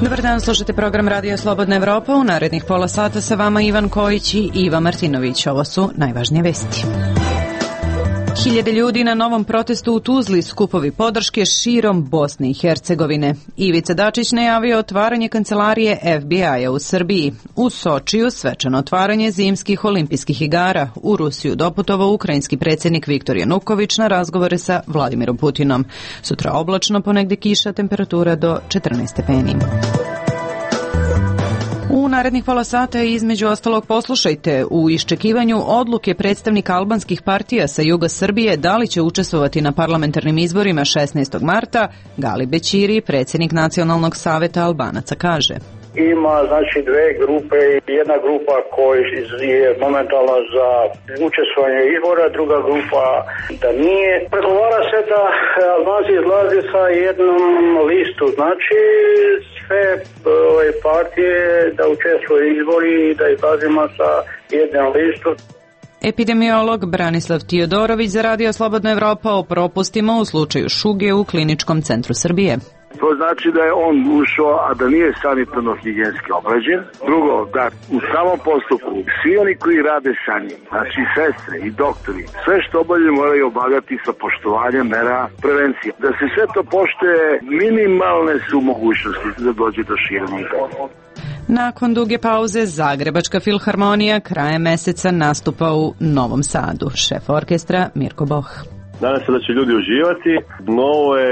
Dobar dan, slušate program Radija Slobodna Evropa. U narednih pola sata sa vama Ivan Kojić i Iva Martinović. Ovo su najvažnije vesti. Hiljade ljudi na novom protestu u Tuzli, skupovi podrške širom Bosne i Hercegovine. Ivica Dačić najavio otvaranje kancelarije FBI-a u Srbiji. U Sočiju svečano otvaranje zimskih olimpijskih igara. U Rusiju doputovao ukrajinski predsjednik Viktor Januković na razgovore sa Vladimirom Putinom. Sutra oblačno, ponegde kiša, temperatura do 14 stepeni. U narednih pola sata između ostalog poslušajte u iščekivanju odluke predstavnika albanskih partija sa juga Srbije da li će učestvovati na parlamentarnim izborima 16. marta, Gali Bećiri, predsjednik Nacionalnog saveta Albanaca, kaže. Ima znači dve grupe, jedna grupa koja je momentalno za učestvovanje izbora, druga grupa da nije. Pregovara se da Albanci izlaze sa jednom listu, znači sve partije da učestvuju izbori i da izlazimo sa jednom listu. Epidemiolog Branislav Tiodorović za Radio Slobodna Evropa o propustima u slučaju šuge u Kliničkom centru Srbije. To znači da je on ušao, a da nije sanitarno-higijenski obrađen. Drugo, da u samom postupku svi oni koji rade sa njim, znači sestre i doktori, sve što obavljaju moraju obavljati sa poštovanjem mera prevencije. Da se sve to poštuje, minimalne su mogućnosti da dođe do širenja. Nakon duge pauze, Zagrebačka filharmonija krajem meseca nastupa u Novom Sadu. Šef orkestra Mirko Boh. Nadam se da će ljudi uživati. Novo je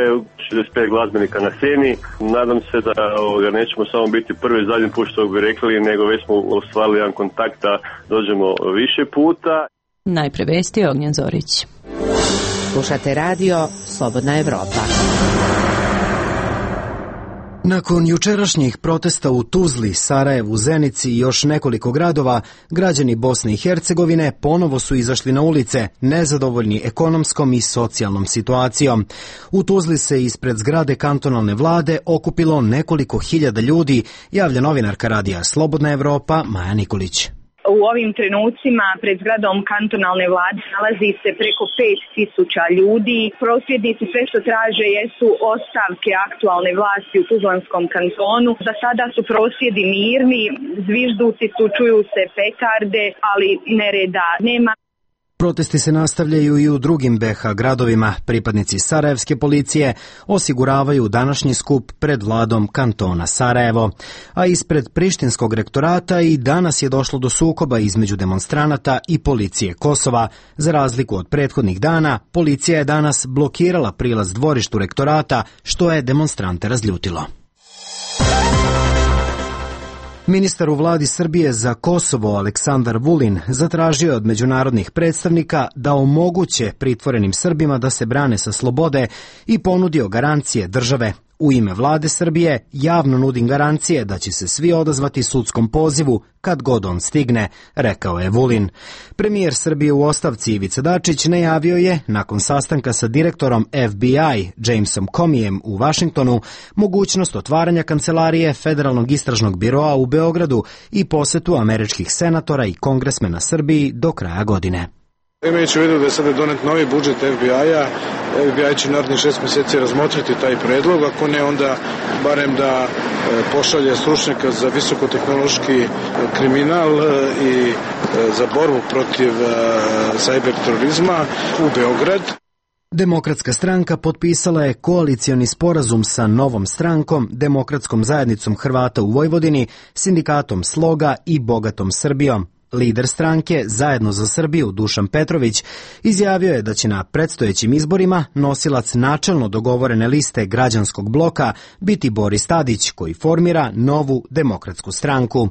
65 glazbenika na sceni. Nadam se da nećemo samo biti prvi i zadnji put što bi rekli, nego već smo ostvarili jedan kontakt da dođemo više puta. Najpre vesti, Ognjen Zorić. Slušate radio Slobodna Evropa. Nakon jučerašnjih protesta u Tuzli, Sarajevu, Zenici i još nekoliko gradova, građani Bosne i Hercegovine ponovo su izašli na ulice, nezadovoljni ekonomskom i socijalnom situacijom. U Tuzli se ispred zgrade kantonalne vlade okupilo nekoliko hiljada ljudi, javlja novinarka radija Slobodna Evropa Maja Nikolić. U ovim trenucima pred zgradom kantonalne vlade nalazi se preko 5.000 ljudi. Prosvjednici sve što traže jesu ostavke aktualne vlasti u Tuzlanskom kantonu. Za sada su prosvjedi mirni, zvižduci su, čuju se petarde, ali nereda nema. Protesti se nastavljaju i u drugim BiH gradovima. Pripadnici sarajevske policije osiguravaju današnji skup pred vladom kantona Sarajevo. A ispred Prištinskog rektorata i danas je došlo do sukoba između demonstranata i policije Kosova. Za razliku od prethodnih dana, policija je danas blokirala prilaz dvorištu rektorata, što je demonstrante razljutilo. Ministar u vladi Srbije za Kosovo Aleksandar Vulin zatražio je od međunarodnih predstavnika da omoguće pritvorenim Srbima da se brane sa slobode i ponudio garancije države. U ime vlade Srbije javno nudim garancije da će se svi odazvati sudskom pozivu kad god on stigne, rekao je Vulin. Premijer Srbije u ostavci Ivica Dačić najavio je, nakon sastanka sa direktorom FBI Jamesom Comijem u Vašingtonu, mogućnost otvaranja kancelarije Federalnog istražnog biroa u Beogradu i posetu američkih senatora i kongresmena Srbiji do kraja godine. Imajući u vidu da je sada donet novi budžet FBI-a, FBI će narednih 6 mjeseci razmotriti taj predlog, ako ne onda barem da pošalje stručnjaka za visokotehnološki kriminal i za borbu protiv cyber terorizma u Beograd. Demokratska stranka potpisala je koalicioni sporazum sa Novom strankom, Demokratskom zajednicom Hrvata u Vojvodini, Sindikatom Sloga i Bogatom Srbijom. Lider stranke Zajedno za Srbiju Dušan Petrović izjavio je da će na predstojećim izborima nosilac načelno dogovorene liste građanskog bloka biti Boris Tadić, koji formira Novu demokratsku stranku.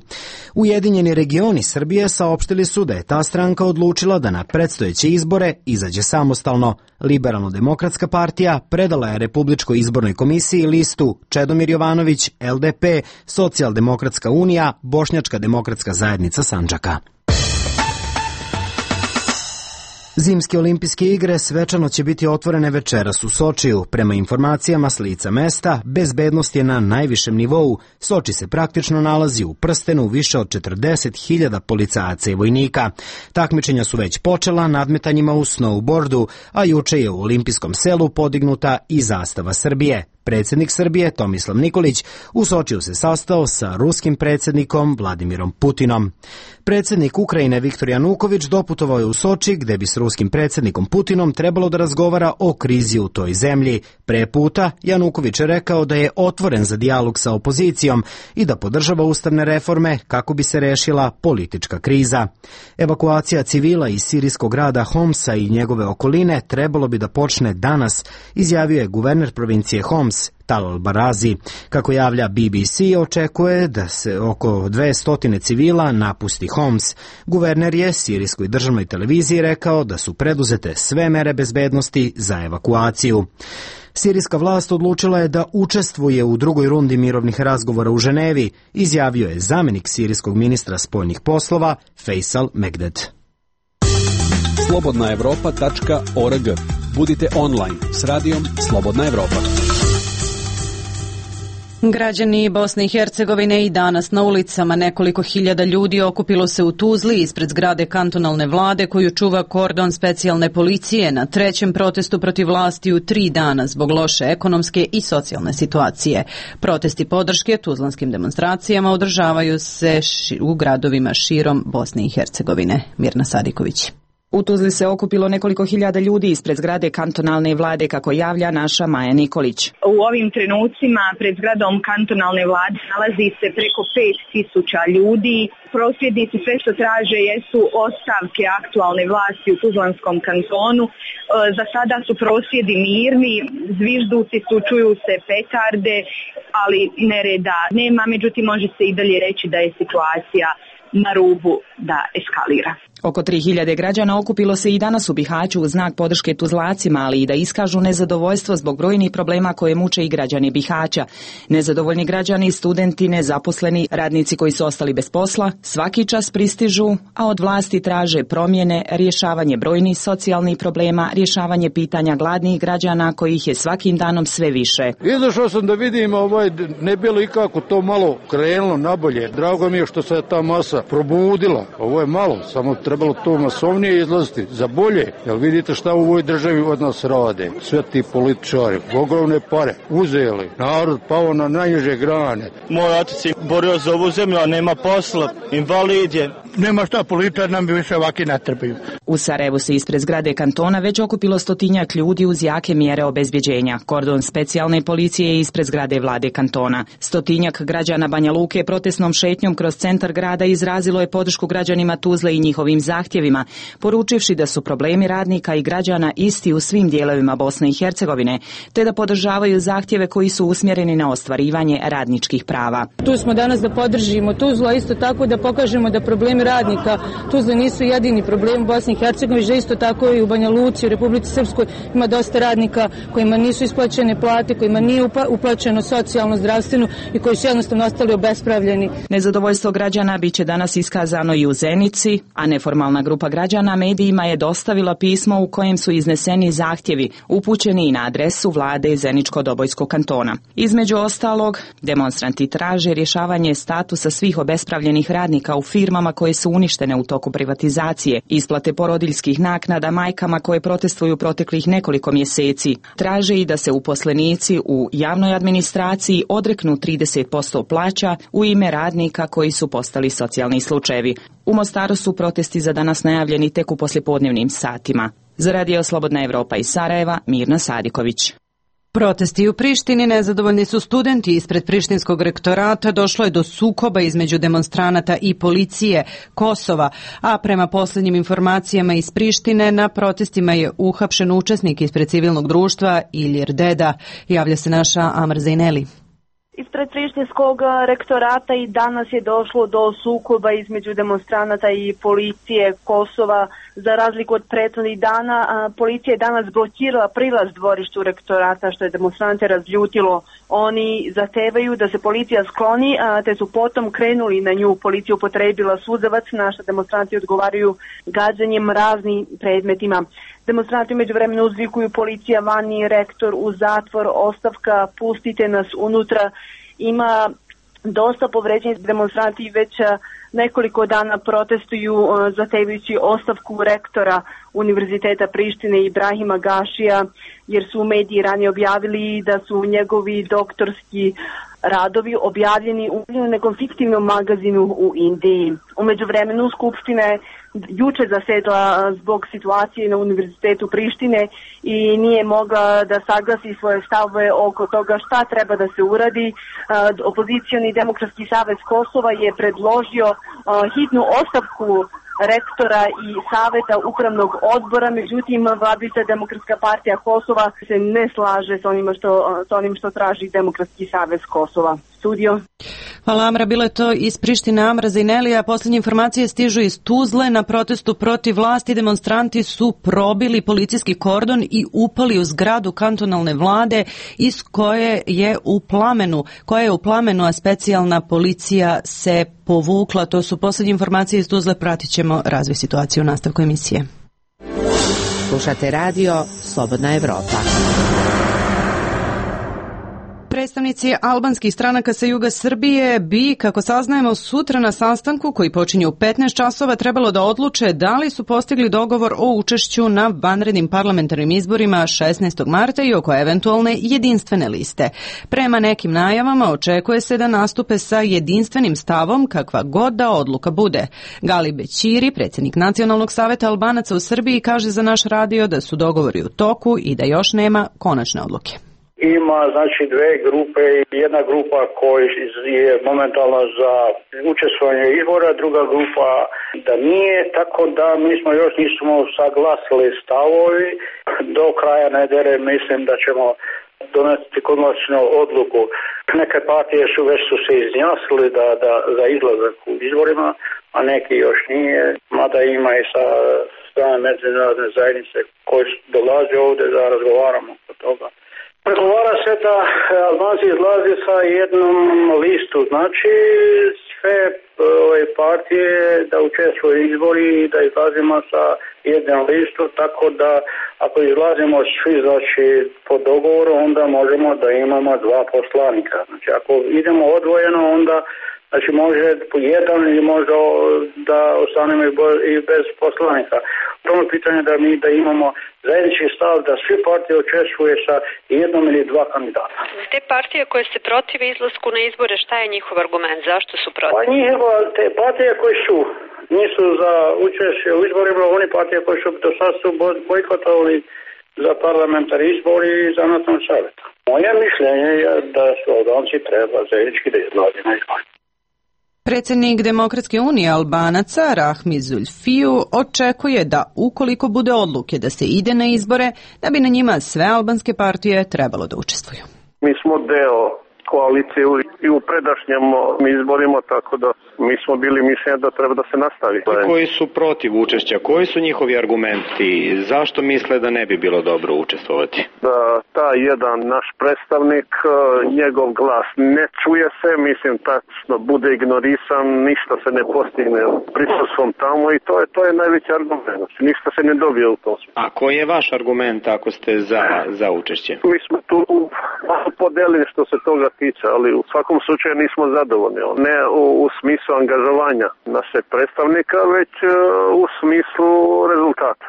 Ujedinjeni regioni Srbije saopštili su da je ta stranka odlučila da na predstojeće izbore izađe samostalno. Liberalno-demokratska partija predala je Republičkoj izbornoj komisiji listu Čedomir Jovanović, LDP, Socijaldemokratska unija, Bošnjačka demokratska zajednica Sandžaka. Zimske olimpijske igre svečano će biti otvorene večeras u Sočiju. Prema informacijama s lica mesta, bezbednost je na najvišem nivou. Soči se praktično nalazi u prstenu više od 40.000 policajaca i vojnika. Takmičenja su već počela nadmetanjima u snowboardu, a juče je u olimpijskom selu podignuta i zastava Srbije. Predsjednik Srbije Tomislav Nikolić u Sočiju se sastao sa ruskim predsjednikom Vladimirom Putinom. Predsjednik Ukrajine Viktor Januković doputovao je u Soči gdje bi s ruskim predsjednikom Putinom trebalo da razgovara o krizi u toj zemlji. Pre puta Januković je rekao da je otvoren za dijalog sa opozicijom i da podržava ustavne reforme kako bi se rešila politička kriza. Evakuacija civila iz sirijskog grada Homsa i njegove okoline trebalo bi da počne danas, izjavio je guverner provincije Homs Talal Barazi. Kako javlja BBC, očekuje da se oko 200 civila napusti Homs. Guverner je sirijskoj državnoj televiziji rekao da su preduzete sve mere bezbednosti za evakuaciju. Sirijska vlast odlučila je da učestvuje u drugoj rundi mirovnih razgovora u Ženevi, izjavio je zamjenik sirijskog ministra spoljnih poslova Faisal Megded. slobodnaevropa.org. Budite online s radijom Slobodna Evropa. Građani Bosne i Hercegovine i danas na ulicama. Nekoliko hiljada ljudi okupilo se u Tuzli ispred zgrade kantonalne vlade koju čuva kordon specijalne policije na trećem protestu protiv vlasti u 3 dana zbog loše ekonomske i socijalne situacije. Protesti podrške tuzlanskim demonstracijama održavaju se u gradovima širom Bosne i Hercegovine. Mirna Sadiković. U Tuzli se okupilo nekoliko hiljada ljudi ispred zgrade kantonalne vlade, kako javlja naša Maja Nikolić. U ovim trenucima pred zgradom kantonalne vlade nalazi se preko 5.000 ljudi. Prosvjednici sve što traže jesu ostavke aktualne vlasti u Tuzlanskom kantonu. Za sada su prosvjedi mirni, zvižduci su, čuju se petarde, ali nereda nema, međutim može se i dalje reći da je situacija na rubu da eskalira. Oko 3000 građana okupilo se i danas u Bihaću u znak podrške Tuzlacima, ali i da iskažu nezadovoljstvo zbog brojnih problema koje muče i građani Bihaća. Nezadovoljni građani, studenti, nezaposleni, radnici koji su ostali bez posla, svaki čas pristižu, a od vlasti traže promjene, rješavanje brojnih socijalnih problema, rješavanje pitanja gladnih građana kojih je svakim danom sve više. Izašao sam da vidim ne bilo i kako to malo krenulo nabolje. Drago mi je što se ta masa probudila. Ovo je malo, samo trebalo to masovnije izlaziti za bolje, jer vidite šta u ovoj državi od nas rade. Sve ti političari, ogromne pare, uzeli, narod pao na najniže grane. Moj otac je borio za ovu zemlju, a nema posla, invalid je. Nema šta, političar nam bi više ovaki natrpaju. U Sarajevu se ispred zgrade kantona već okupilo 100 ljudi uz jake mjere obezbjeđenja. Kordon specijalne policije je ispred zgrade vlade kantona. 100 građana Banja Luke protestnom šetnjom kroz centar grada izrazilo je podršku građanima Tuzle i njihovim zahtjevima, poručivši da su problemi radnika i građana isti u svim dijelovima Bosne i Hercegovine, te da podržavaju zahtjeve koji su usmjereni na ostvarivanje radničkih prava. Tu smo danas da podržimo Tuzlu, a isto tako da pokažemo da problemi radnika Tuzle nisu jedini problem u Bosni i Hercegovini, že isto tako i u Banja Luci, u Republici Srpskoj ima dosta radnika kojima nisu isplaćene plate, kojima nije uplaćeno socijalno, zdravstveno i koji su jednostavno ostali obespravljeni. Nezadovoljstvo građana biće danas iskazano i u Zenici, a neformalna grupa građana medijima je dostavila pismo u kojem su izneseni zahtjevi upućeni i na adresu vlade Zeničko-Dobojskog kantona. Između ostalog, demonstranti traže rješavanje statusa svih obespravljenih radnika u firmama koje su uništene u toku privatizacije, isplate porodiljskih naknada majkama koje protestuju proteklih nekoliko mjeseci. Traže i da se uposlenici u javnoj administraciji odreknu 30% plaća u ime radnika koji su postali socijalni slučajevi. U Mostaru su protesti za danas najavljeni tek u poslijepodnevnim satima. Za Radio Slobodna Evropa iz Sarajeva, Mirna Sadiković. Protesti u Prištini, nezadovoljni su studenti ispred Prištinskog rektorata, došlo je do sukoba između demonstranata i policije Kosova, a prema posljednjim informacijama iz Prištine na protestima je uhapšen učesnik ispred civilnog društva Ilir Deda. Javlja se naša Amar Zaineli. Ispred Prištinskog rektorata i danas je došlo do sukoba između demonstranata i policije Kosova. Za razliku od prethodnih dana, policija je danas blokirala prilaz dvorištu rektorata, što je demonstrante razljutilo. Oni zahtevaju da se policija skloni, te su potom krenuli na nju. Policija upotrebila suzavac, na što demonstranti odgovaraju gađanjem raznim predmetima. Demonstranti međuvremeno uzvikuju policija vani, rektor u zatvor, ostavka, pustite nas unutra. Ima dosta povređenih, demonstranti već nekoliko dana protestuju zahtevajući ostavku rektora Univerziteta Prištine Ibrahima Gašija, jer su mediji ranije objavili da su njegovi doktorski radovi objavljeni u nekom fiktivnom magazinu u Indiji. U međuvremenu Skupština je juče zasedla zbog situacije na Univerzitetu Prištine i nije mogla da saglasi svoje stavove oko toga šta treba da se uradi. Opozicioni Demokratski savez Kosova je predložio hitnu ostavku rektora i saveta upravnog odbora, međutim vladajuća Demokratska partija Kosova se ne slaže sa onim što traži Demokratski savez Kosova. Studio. Hvala Amra, bilo je to iz Prištine. Amra Zajnelija. Posljednje informacije stižu iz Tuzle. Na protestu protiv vlasti demonstranti su probili policijski kordon i upali u zgradu kantonalne vlade iz koje je u plamenu, a specijalna policija se povukla. To su posljednje informacije iz Tuzle. Pratit ćemo razvoj situacije u nastavku emisije. Slušate radio Slobodna Evropa. Predstavnici albanskih stranaka sa juga Srbije bi, kako saznajemo, sutra na sastanku koji počinje u 15 časova trebalo da odluče da li su postigli dogovor o učešću na vanrednim parlamentarnim izborima 16. marta i oko eventualne jedinstvene liste. Prema nekim najavama očekuje se da nastupe sa jedinstvenim stavom kakva god da odluka bude. Gali Bećiri, predsjednik Nacionalnog saveta Albanaca u Srbiji, kaže za naš radio da su dogovori u toku i da još nema konačne odluke. Ima znači dve grupe, jedna grupa koja je momentalno za učestvovanje izbora, druga grupa da nije, tako da mi smo još nismo saglasili stavovi. Do kraja nedjelje mislim da ćemo donesti konačnu odluku. Neke partije su se izjasnili za izlazak u izborima, a neki još nije, mada ima i sa strane međunarodne zajednice koji dolaze ovdje da razgovaramo o toga. Pregovara se da Albanci izlazi sa jednom listu, znači sve partije da učestvuju izbori i da izlazimo sa jednom listu, tako da ako izlazimo svi znači po dogovoru, onda možemo da imamo dva poslanika. Znači ako idemo odvojeno, onda znači može jedan ili možda da ostanemo i bez poslanika. Prvo pitanje da imamo zajednički stav da svi partije učestvuju sa jednom ili dva kandidata. Te partije koje se protive izlasku na izbore, šta je njihov argument? Zašto su protiv? Pa te partije koje nisu za učešće u izborima, oni partije koje su do sad su bojkotovali za parlamentarni izbori i za nacionalni savjet. Moje mišljenje je da su Albanci treba zajednički da izlazi na izbore. Predsjednik Demokratske unije Albanaca Rahmi Zulfiju očekuje da ukoliko bude odluke da se ide na izbore, da bi na njima sve albanske partije trebalo da učestvuju. Mi smo deo koalicije i u predašnjem izborima, tako da mi smo bili mišljenja da treba da se nastavi. Koji su protiv učešća? Koji su njihovi argumenti? Zašto misle da ne bi bilo dobro učestvovati? Da taj jedan naš predstavnik, njegov glas ne čuje se, mislim tačno bude ignorisan, ništa se ne postigne prisustvom tamo i to je najveći argument. Ništa se ne dobije u tom. A koji je vaš argument ako ste za učešće? Mi smo tu podelili što se toga tiče, ali u svakom slučaju nismo zadovoljni. Ne u smislu angažovanja naše predstavnika, već u smislu rezultata.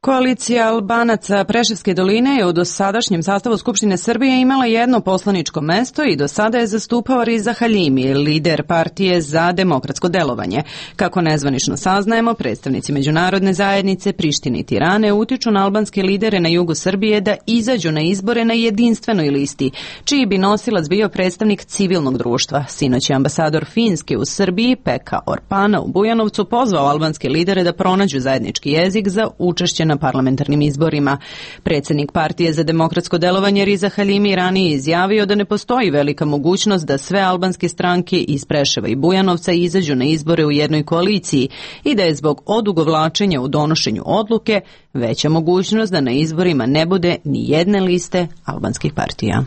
Koalicija Albanaca Preševske doline je u dosadašnjem sastavu Skupštine Srbije imala jedno poslaničko mesto i do sada je zastupao Riza Halimi, lider partije za demokratsko delovanje. Kako nezvanično saznajemo, predstavnici međunarodne zajednice Prištine i Tirane utiču na albanske lidere na jugu Srbije da izađu na izbore na jedinstvenoj listi, čiji bi nosilac bio predstavnik civilnog društva. Sinoć je ambasador Finske u Srbiji, Pekka Orpana u Bujanovcu, pozvao albanske lidere da pronađu zajednički jezik za učešće na parlamentarnim izborima. Predsjednik partije za demokratsko delovanje Riza Halimi ranije izjavio da ne postoji velika mogućnost da sve albanske stranke iz Preševa i Bujanovca izađu na izbore u jednoj koaliciji i da je zbog odugovlačenja u donošenju odluke veća mogućnost da na izborima ne bude ni jedne liste albanskih partija.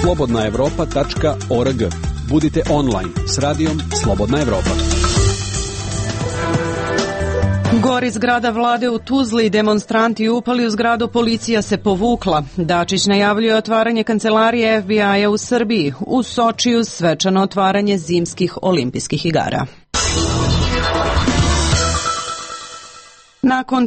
slobodnaevropa.org. Budite online s radijom Slobodna Evropa. Gori zgrada vlade u Tuzli, demonstranti upali u zgradu, policija se povukla. Dačić najavljuje otvaranje kancelarije FBI-a u Srbiji. U Sočiju svečano otvaranje zimskih olimpijskih igara. Nakon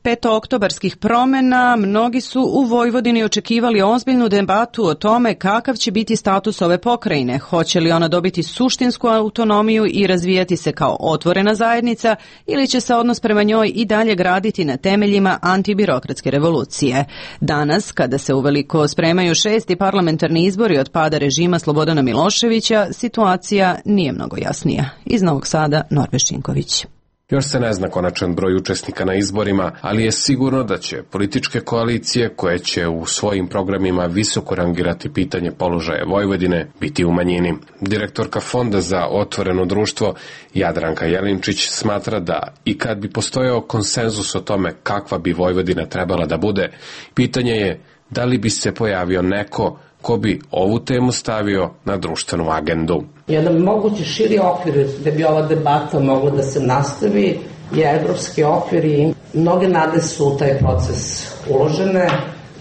petooktobarskih promjena, mnogi su u Vojvodini očekivali ozbiljnu debatu o tome kakav će biti status ove pokrajine. Hoće li ona dobiti suštinsku autonomiju i razvijati se kao otvorena zajednica ili će se odnos prema njoj i dalje graditi na temeljima antibirokratske revolucije. Danas, kada se uveliko spremaju 6. parlamentarni izbori od pada režima Slobodana Miloševića, situacija nije mnogo jasnija. Iz Novog Sada, Norbe Šinković. Još se ne zna konačan broj učesnika na izborima, ali je sigurno da će političke koalicije koje će u svojim programima visoko rangirati pitanje položaja Vojvodine biti u manjini. Direktorka Fonda za otvoreno društvo Jadranka Jelinčić smatra da i kad bi postojao konsenzus o tome kakva bi Vojvodina trebala da bude, pitanje je da li bi se pojavio neko ko bi ovu temu stavio na društvenu agendu. Jedan mogući širi okvir da bi ova debata mogla da se nastavi je evropski okvir i mnoge nade su u taj proces uložene.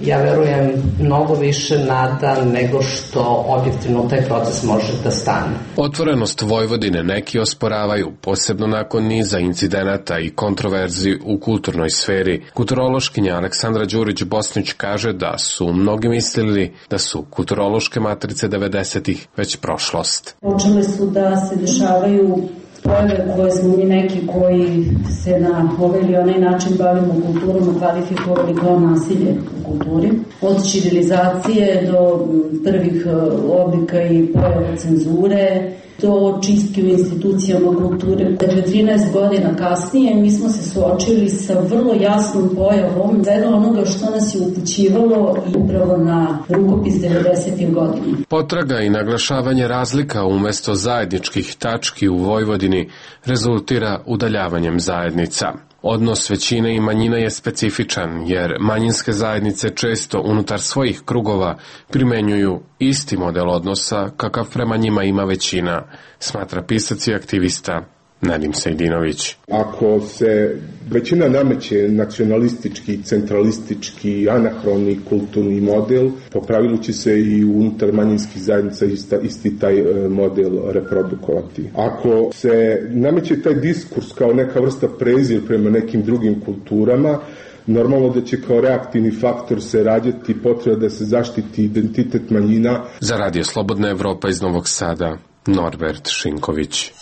Ja verujem mnogo više nada nego što objektivno taj proces može da stane. Otvorenost Vojvodine neki osporavaju, posebno nakon niza incidenata i kontroverzi u kulturnoj sferi. Kulturološkinja Aleksandra Đurić-Bosnić kaže da su mnogi mislili da su kulturološke matrice 90-ih već prošlost. Počele su da se dešavaju pojave koje smo mi neki koji se na ovaj ili onaj način bavimo kulturom kvalifikovali kao nasilje u kulturi. Od ćirilizacije do prvih oblika i pojava cenzure, do čistke u institucijama kulture. Dakle, 13 godina kasnije mi smo se suočili sa vrlo jasnom pojavom svega onoga što nas je upućivalo i upravo na rukopis 90. godina. Potraga i naglašavanje razlika umesto zajedničkih tački u Vojvodini rezultira udaljavanjem zajednica. Odnos većine i manjina je specifičan, jer manjinske zajednice često unutar svojih krugova primenjuju isti model odnosa kakav prema njima ima većina, smatra pisac i aktivista Nedim Sejdinović. Ako se većina nameće nacionalistički, centralistički, anahroni kulturni model, po pravilu će se i unutar manjinskih zajednica isti taj model reprodukovati. Ako se nameće taj diskurs kao neka vrsta prezir prema nekim drugim kulturama, normalno da će kao reaktivni faktor se rađati potreba da se zaštiti identitet manjina. Za Radio Slobodna Evropa iz Novog Sada, Norbert Šinković.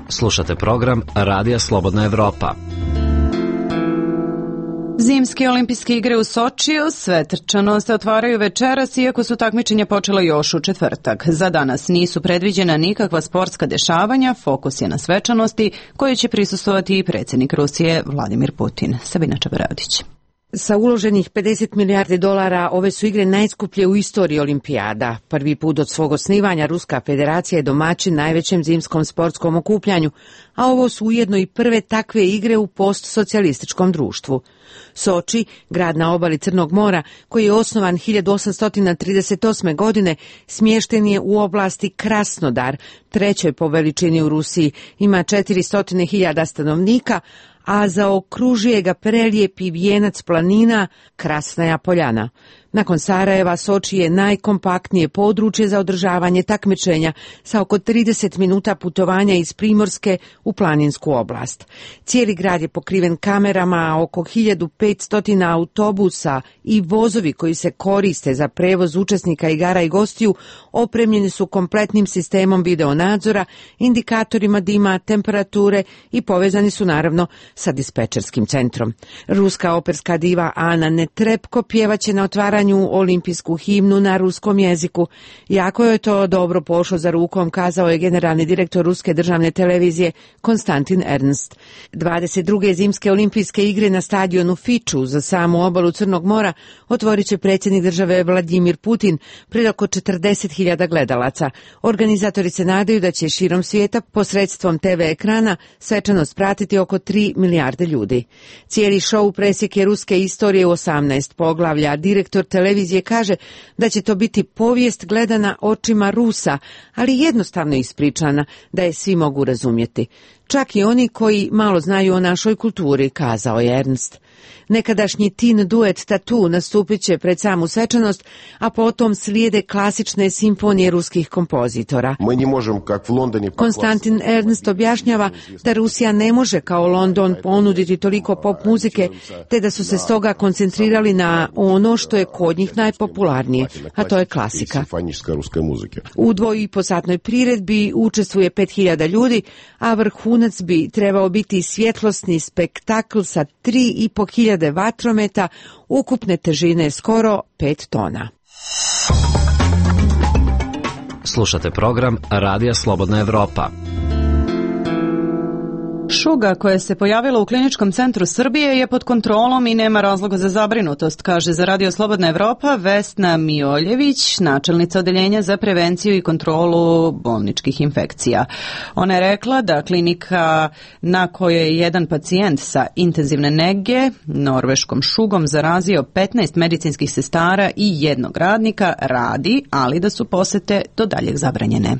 Slušate program Radija Slobodna Evropa. Zimske olimpijske igre u Sočiju svečano se otvaraju večeras, iako su takmičenja počela još u četvrtak. Za danas nisu predviđena nikakva sportska dešavanja, fokus je na svečanosti koje će prisustvovati i predsjednik Rusije Vladimir Putin. Sabina Čabaradić. Sa uloženih 50 milijardi dolara ove su igre najskuplje u istoriji olimpijada. Prvi put od svog osnivanja Ruska federacija je domaćin najvećem zimskom sportskom okupljanju, a ovo su ujedno i prve takve igre u postsocijalističkom društvu. Soči, grad na obali Crnog mora, koji je osnovan 1838. godine, smješten je u oblasti Krasnodar, trećoj po veličini u Rusiji, ima 400.000 stanovnika, a zaokružuje ga prelijepi vijenac planina Krasnaja Poljana. Nakon Sarajeva, Soči je najkompaktnije područje za održavanje takmičenja sa oko 30 minuta putovanja iz Primorske u planinsku oblast. Cijeli grad je pokriven kamerama, a oko 1500 autobusa i vozovi koji se koriste za prevoz učesnika igara i gostiju opremljeni su kompletnim sistemom videonadzora, indikatorima dima, temperature i povezani su naravno sa dispečerskim centrom. Ruska operska diva Ana Netrebko pjevaće na otvaranju olimpijsku himnu na ruskom jeziku. Jako je to dobro pošlo za rukom, kazao je generalni direktor Ruske državne televizije Konstantin Ernst. 22. zimske olimpijske igre na stadionu Fiču za samu obalu Crnog mora otvorit će predsjednik države Vladimir Putin pred oko 40.000 gledalaca. Organizatori se nadaju da će širom svijeta posredstvom TV ekrana svečanost pratiti oko 3 milijarde ljudi. Cijeli šou presjek je ruske istorije u 18 poglavlja. Direktor televizije kaže da će to biti povijest gledana očima Rusa, ali jednostavno ispričana da je svi mogu razumjeti. Čak i oni koji malo znaju o našoj kulturi, kazao je Ernst. Nekadašnji teen duet Tattoo nastupit će pred samu svečanost, a potom slijede klasične simfonije ruskih kompozitora. Konstantin Ernst objašnjava da Rusija ne može kao London ponuditi toliko pop muzike, te da su se stoga koncentrirali na ono što je kod njih najpopularnije, a to je klasika. U 2,5-satnoj priredbi učestvuje 5000 ljudi, a vrhunac bi trebao biti svjetlosni spektakl sa 3500 vatrometa ukupne težine skoro 5 tona. Slušate program Radija Slobodna Evropa. Šuga koja se pojavila u Kliničkom centru Srbije je pod kontrolom i nema razloga za zabrinutost, kaže za Radio Slobodna Evropa Vesna Mioljević, načelnica odeljenja za prevenciju i kontrolu bolničkih infekcija. Ona je rekla da klinika na kojoj je jedan pacijent sa intenzivne nege norveškom šugom zarazio 15 medicinskih sestara i jednog radnika radi, ali da su posete do daljeg zabranjene.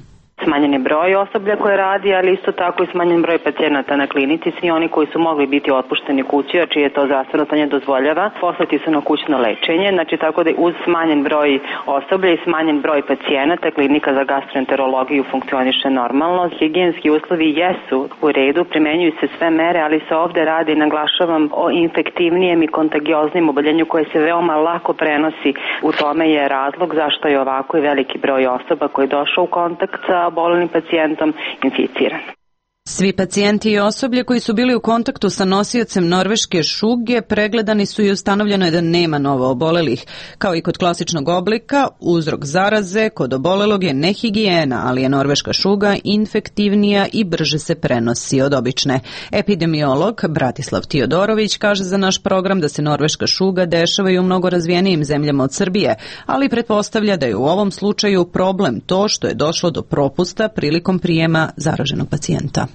Smanjen je broj osoblja koje radi, ali isto tako i smanjen broj pacijenata na klinici. Svi oni koji su mogli biti otpušteni kući, a čije to zdravstveno stanje dozvoljava, poslati su na kućno lečenje. Znači tako da uz smanjen broj osoblja i smanjen broj pacijenata, klinika za gastroenterologiju funkcioniše normalno. Higijenski uslovi jesu u redu, primenjuju se sve mere, ali se ovde radi, naglašavam, o infektivnijem i kontagioznim oboljenju koje se veoma lako prenosi. U tome je razlog zašto je ovako i veliki broj osoba koji je došao u kontakt sa oboljelim pacijentom inficiran. Svi pacijenti i osoblje koji su bili u kontaktu sa nosiocem norveške šuge pregledani su i ustanovljeno je da nema novo obolelih. Kao i kod klasičnog oblika, uzrok zaraze kod obolelog je nehigijena, ali je norveška šuga infektivnija i brže se prenosi od obične. Epidemiolog Bratislav Tiodorović kaže za naš program da se norveška šuga dešava i u mnogo razvijenijim zemljama od Srbije, ali pretpostavlja da je u ovom slučaju problem to što je došlo do propusta prilikom prijema zaraženog pacijenta.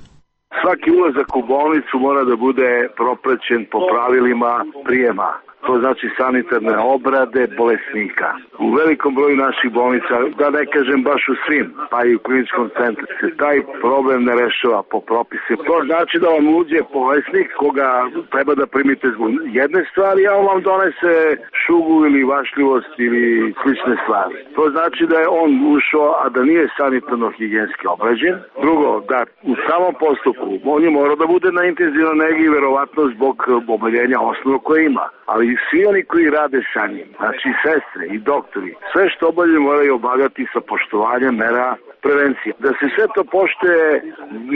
Svaki ulazak u bolnicu mora da bude propraćen po pravilima prijema. To znači sanitarne obrade bolesnika. U velikom broju naših bolnica, da ne kažem baš u svim, pa i u kliničkom centru, se taj problem ne rešava po propise. To znači da vam uđe bolesnik koga treba da primite zbog jedne stvari, a on vam donese šugu ili vašljivost ili slične stvari. To znači da je on ušao, a da nije sanitarno-higijenski obrađen. Drugo, da u samom postupku on je morao da bude na intenzivnoj negi verovatno zbog oboljenja osnovnog koje ima. Ali svi oni koji rade sa njim, znači sestre i doktori, sve što obavljaju moraju obavljati sa poštovanjem mera prevencije. Da se sve to poštuje,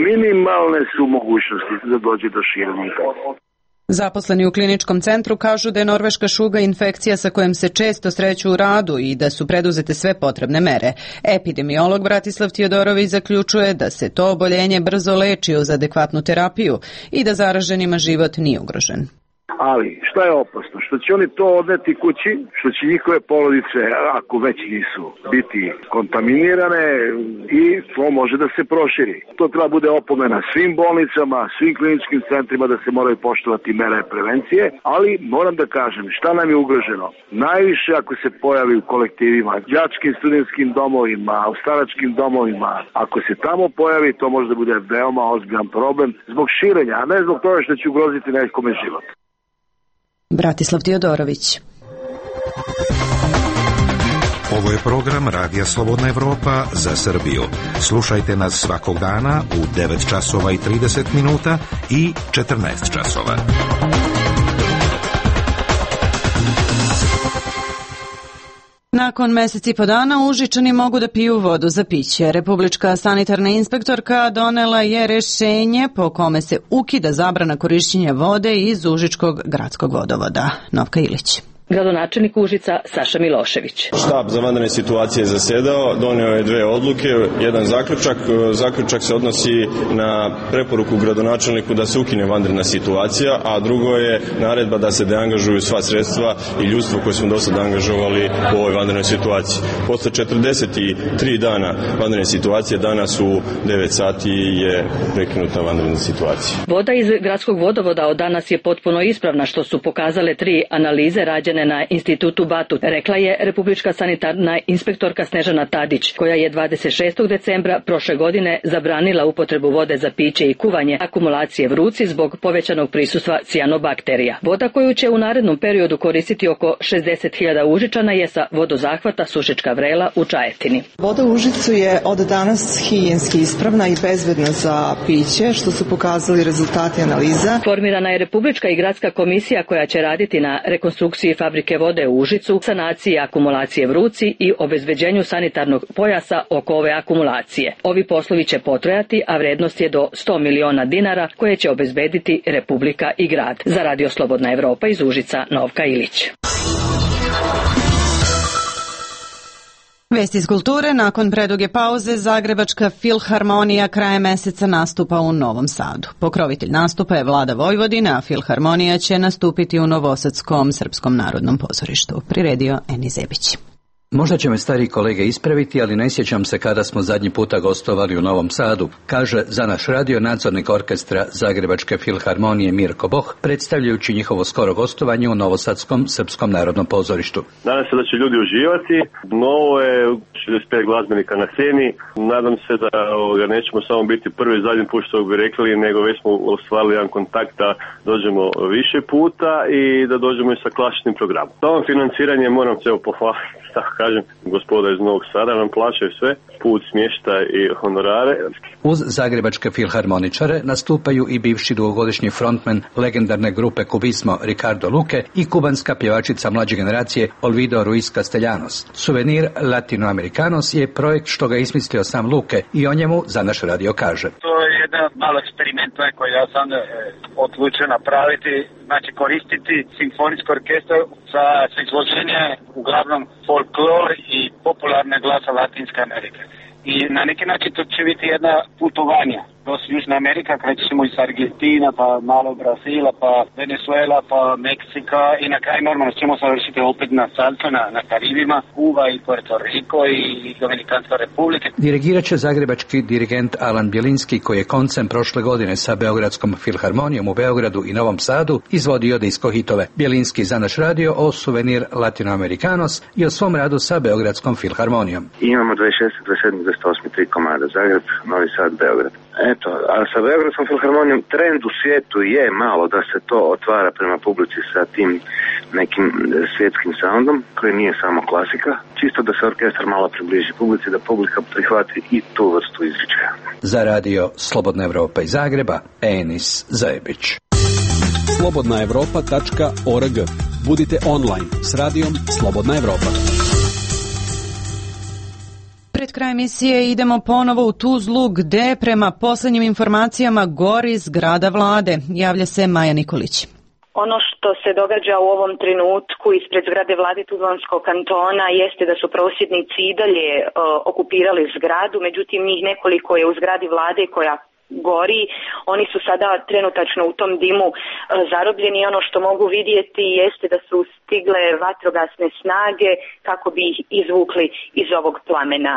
minimalne su mogućnosti da dođe do širenja infekcije. Zaposleni u kliničkom centru kažu da je norveška šuga infekcija sa kojom se često sreću u radu i da su preduzete sve potrebne mere. Epidemiolog Bratislav Tiodorović zaključuje da se to oboljenje brzo leči uz adekvatnu terapiju i da zaraženima život nije ugrožen. Ali, šta je opasno? Što će oni to odneti kući, što će njihove porodice, ako već nisu, biti kontaminirane i to može da se proširi. To treba bude opomena svim bolnicama, svim kliničkim centrima da se moraju poštovati mere prevencije, ali moram da kažem, šta nam je ugroženo? Najviše ako se pojavi u kolektivima, đačkim studentskim domovima, u staračkim domovima, ako se tamo pojavi, to može da bude veoma ozbiljan problem zbog širenja, a ne zbog toga što će ugroziti nekome život. Bratislav Tiodorović. Ovo je program Radija Slobodna Evropa za Srbiju. Slušajte nas svakog dana u 9 časova i 30 minuta i 14 časova. Nakon mjesec i po dana Užičani mogu da piju vodu za piće. Republička sanitarna inspektorka donela je rješenje po kome se ukida zabrana korišćenja vode iz Užičkog gradskog vodovoda. Novka Ilić. Gradonačelnik Užica Saša Milošević. Štab za vanredne situacije zasedao, doneo je 2 odluke, jedan zaključak. Zaključak se odnosi na preporuku gradonačelniku da se ukine vanredna situacija, a drugo je naredba da se deangažuju sva sredstva i ljudstvo koje smo do sada angažovali u ovoj vanrednoj situaciji. Posle 43 dana vanredne situacije, danas u 9 sati je prekinuta vanredna situacija. Voda iz gradskog vodovoda od danas je potpuno ispravna, što su pokazale 3 analize rađene izrađene na institutu Batut, rekla je republička sanitarna inspektorka Snežana Tadić, koja je 26. decembra prošle godine zabranila upotrebu vode za piće i kuvanje akumulacije vruci zbog povećanog prisustva cijanobakterija. Voda koju će u narednom periodu koristiti oko 60.000 Užičana je sa vodozahvata Sušička Vrela u Čajetini. Voda u Užicu je od danas higijenski ispravna i bezbedna za piće, što su pokazali rezultati analiza. Formirana je republička i gradska komisija koja će raditi na rekonstrukciji fabrike vode u Užicu, sanaciji akumulacije vruci i obezbeđenju sanitarnog pojasa oko ove akumulacije. Ovi poslovi će potrajati, a vrednost je do 100 miliona dinara koje će obezbediti Republika i grad. Za Radio Slobodna Evropa iz Užica, Novka Ilić. Vesti iz kulture. Nakon preduge pauze, Zagrebačka filharmonija krajem meseca nastupa u Novom Sadu. Pokrovitelj nastupa je Vlada Vojvodine, a filharmonija će nastupiti u Novosadskom srpskom narodnom pozorištu. Priredio Eni Zebić. Možda će me stari kolege ispraviti, ali ne sjećam se kada smo zadnji puta gostovali u Novom Sadu, kaže za naš radio nadzornik orkestra Zagrebačke filharmonije Mirko Boh, predstavljajući njihovo skoro gostovanje u Novosadskom srpskom narodnom pozorištu. Nadam se da će ljudi uživati. Novo je 65 glazbenika na sceni. Nadam se da nećemo samo biti prvi i zadnji put što bi rekli, nego već smo ostvarili jedan kontakt da dođemo više puta i da dođemo i sa klasičnim programom. Samo financiranje moram se pohvaliti. Tako kažem, gospoda iz Novog Sada nam plaćaju sve, put, smještaj i honorare. Uz zagrebačke filharmoničare nastupaju i bivši dugogodišnji frontman legendarne grupe Kubismo Ricardo Luque i kubanska pjevačica mlađe generacije Olvido Ruiz Castellanos. Suvenir Latinoamericanos je projekt što ga ismislio sam Luque i o njemu za naš radio kaže. To je jedan malo eksperiment koji ja sam odlučio napraviti, znači koristiti simfonijski orkestar za izvođenje uglavnom folklor i popularne glasa Latinske Amerike. I na neki način to će biti jedna putovanja. Do Južna Amerika, krećemo iz Argentina, pa malo Brazila, pa Venezuela, pa Meksika i na kraju normalno ćemo završiti opet na salsu, na Karibima, Kuba i Puerto Rico i Dominikanska republika. Dirigirat će zagrebački dirigent Alan Bjelinski, koji je koncem prošle godine sa Beogradskom filharmonijom u Beogradu i Novom Sadu izvodio disko hitove. Bjelinski za naš radio o Suvenir Latinoamericanos i o svom radu sa Beogradskom filharmonijom. Imamo 26. 27. 28. 3 komada, Zagreb, Novi Sad, Beograd. Eto, a sa Beogradskom filharmonijom trend u svijetu je malo da se to otvara prema publici sa tim nekim svjetskim soundom, koji nije samo klasika, čisto da se orkestar malo približi publici, da publika prihvati i tu vrstu izričaja. Za radio Slobodna Evropa iz Zagreba, Enis Zajebić. slobodnaevropa.org. Budite online s radijom Slobodna Evropa. Pred kraj emisije idemo ponovo u Tuzlu, gde prema poslednjim informacijama gori zgrada vlade. Javlja se Maja Nikolić. Ono što se događa u ovom trenutku ispred zgrade vlade Tuzlanskog kantona jeste da su prosvjednici i dalje okupirali zgradu, međutim njih nekoliko je u zgradi vlade koja gori. Oni su sada trenutačno u tom dimu zarobljeni. Ono što mogu vidjeti jeste da su stigle vatrogasne snage kako bi ih izvukli iz ovog plamena.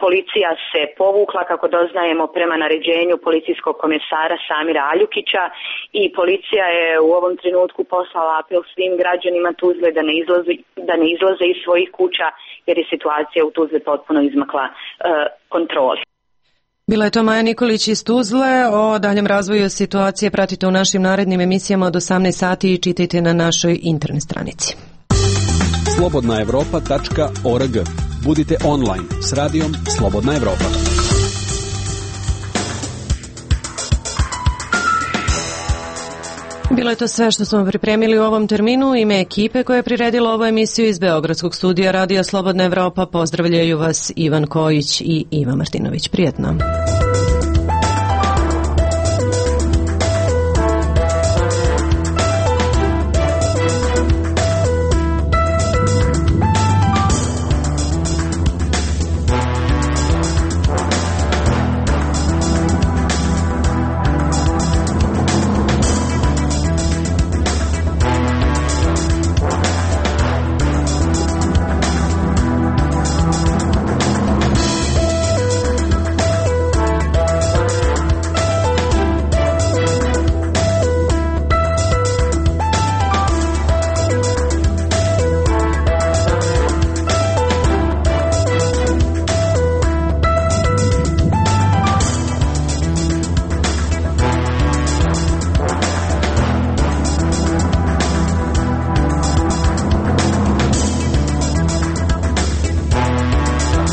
Policija se povukla, kako doznajemo, prema naređenju policijskog komesara Samira Aljukića i policija je u ovom trenutku poslala apel svim građanima Tuzle da ne izlaze iz svojih kuća jer je situacija u Tuzli potpuno izmakla kontroli. Bila je to Maja Nikolić iz Tuzle. O daljem razvoju situacije pratite u našim narednim emisijama od 18 sati i čitajte na našoj internet stranici. slobodnaevropa.org. Budite online s radijom Slobodna Evropa. Bilo je to sve što smo pripremili u ovom terminu. Ime ekipe koja je priredila ovu emisiju iz Beogradskog studija Radija Slobodna Evropa pozdravljaju vas Ivan Kojić i Iva Martinović. Prijetno.